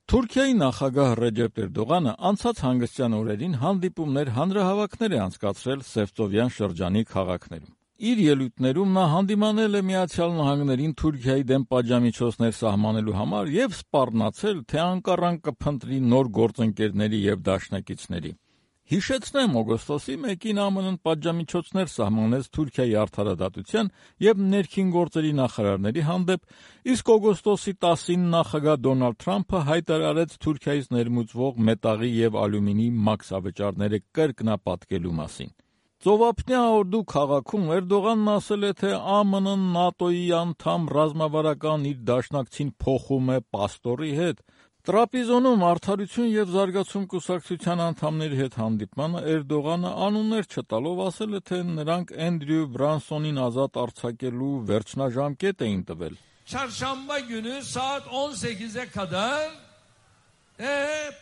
Թուրքիայի նախագահ Ռեջեփ Էրդողանը անցած հանգստյան օրերին հանդիպումներ, հանրահավաքներ է անցկացրել Սևծովյան շրջանի քաղաքներում։ Իր ելույթներում նա հանդիմանել է Միացյալ Նահանգներին Թուրքիայի դեմ պատժամիջոցներ սահմանելու համար եւ սպառնացել, թե Անկարան կփնտրի նոր գործընկերների եւ դաշնակիցների։ Հիշեցնեմ, օգոստոսի 1-ին ԱՄՆ-ն պատժամիջոցներ սահմանեց Թուրքիայի արդարադատության եւ ներքին գործերի նախարարների հանդեպ, իսկ օգոստոսի 10-ին նախագահ Դոնալդ Թրամփը հայտարարեց Թուրքիայից ներմուծվող մետաղի եւ ալյումինի մաքսավճարները կրկնապատկելու մասին։ Ծովափնյա Օրդու քաղաքում Էրդողանն ասել է, թե ԱՄՆ-ն ՆԱՏՕ-ի անդամ ռազմավարական իր դաշնակցին փոխում է պաստորի հետ։ Տրապիզոնում Արդարություն եւ զարգացում կուսակցության անդամների հետ հանդիպմանը Էրդողանը անուններ չտալով ասել է, թե նրանք Էնդրյու Բրանսոնին ազատ արձակելու վերջնաժամկետ էին տվել։ Çarşamba günü saat 18'e kadar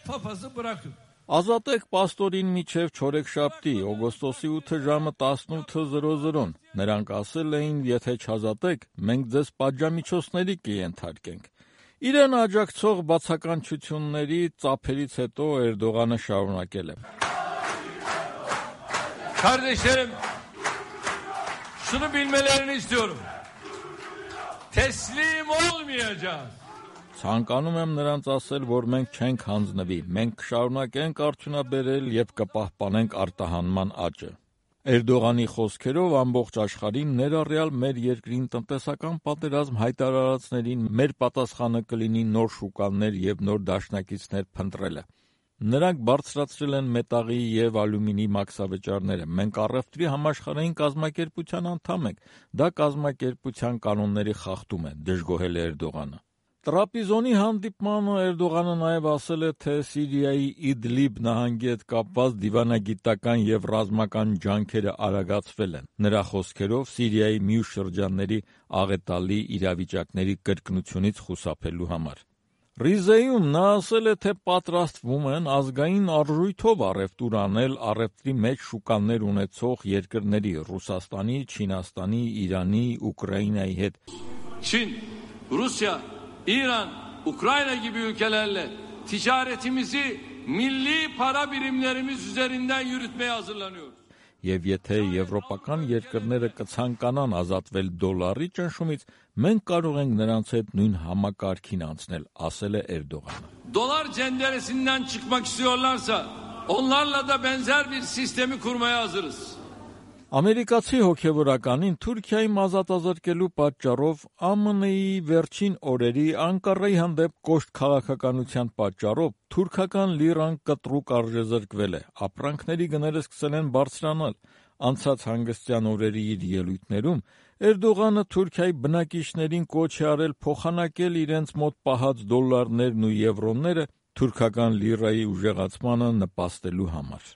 papazı bırakın. Ազատեք պաստորին միջև չորեքշաբթի, օգոստոսի 8 ժամը 18:00-ն։ Նրանք ասել էին, եթե չազատեք, մենք ձեզ պատժամիջոցների կենթարկենք։ Իրեն աջակցող բացականչությունների ծափերից հետո Էրդողանը շարունակել է. Kardeşlerim, şunu bilmelerini istiyorum. Teslim olmayacağız. Ցանկանում եմ նրանց ասել, որ մենք չենք հանձնվի, մենք կշարունակենք արդյունաբերել եւ կպահպանենք արտահանման աճը։ Էրդողանի խոսքերով ամբողջ աշխարհին, ներառյալ մեր երկրին տնտեսական պատերազմ հայտարարածներին մեր պատասխանը կլինի նոր շուկաներ եւ նոր դաշնակիցներ փնտրելը։ Նրանք բարձրացրել են մետաղի եւ ալյումինի մաքսավճարները։ Մենք առևտրի համաշխարհային կազմակերպության անդամ ենք։ Դա կազմակերպության կանոնների խախտում է, դժգոհել է Էրդողանը։ Տրապիզոնի հանդիպմանը Էրդողանը նաև ասել է, թե Սիրիայի Իդլիբ նահանգի հետ կապված դիվանագիտական եւ ռազմական ջանքերը արագացվել են։ Նրա խոսքերով Սիրիայի մյուս շրջանների աղետալի իրավիճակների կրկնությունից խուսափելու համար։ Ռիզեյում նա ասել է, թե պատրաստվում են ազգային արժույթով առևտուր անել առևտրի մեջ շուկաներ ունեցող երկրների Ռուսաստանի, Չինաստանի, Իրանի, Ուկրաինայի հետ։ Çin, Rusya, İran, Ukrayna gibi ülkelerle ticaretimizi milli para birimlerimiz üzerinden yürütmeye hazırlanıyoruz. Եվ եթե եվրոպական երկրները կցանկանան ազատվել դոլարի ճնշումից, մենք կարող ենք նրանց հետ նույն համակարգին անցնել, ասել է Էրդողանը։ Dolar cenderesinden çıkmak istiyorlarsa onlarla da benzer bir sistemi kurmaya hazırız. Ամերիկացի հոգևորականին Թուրքիայի ազատազրկելու պատճառով ԱՄՆ-ի վերջին օրերի Անկարայի հանդեպ կոշտ քաղաքականության պատճառով թուրքական լիրան կտրուկ արժեզրկվել է, ապրանքների գները սկսել են բարձրանալ։ Անցած հանգստյան օրերի իր ելույթներում Էրդողանը Թուրքիայի բնակիչներին կոչ է արել փոխանակել իրենց մոտ պահած դոլարներն ու եվրոները թուրքական լիրայի ուժեղացմանը նպաստելու համար։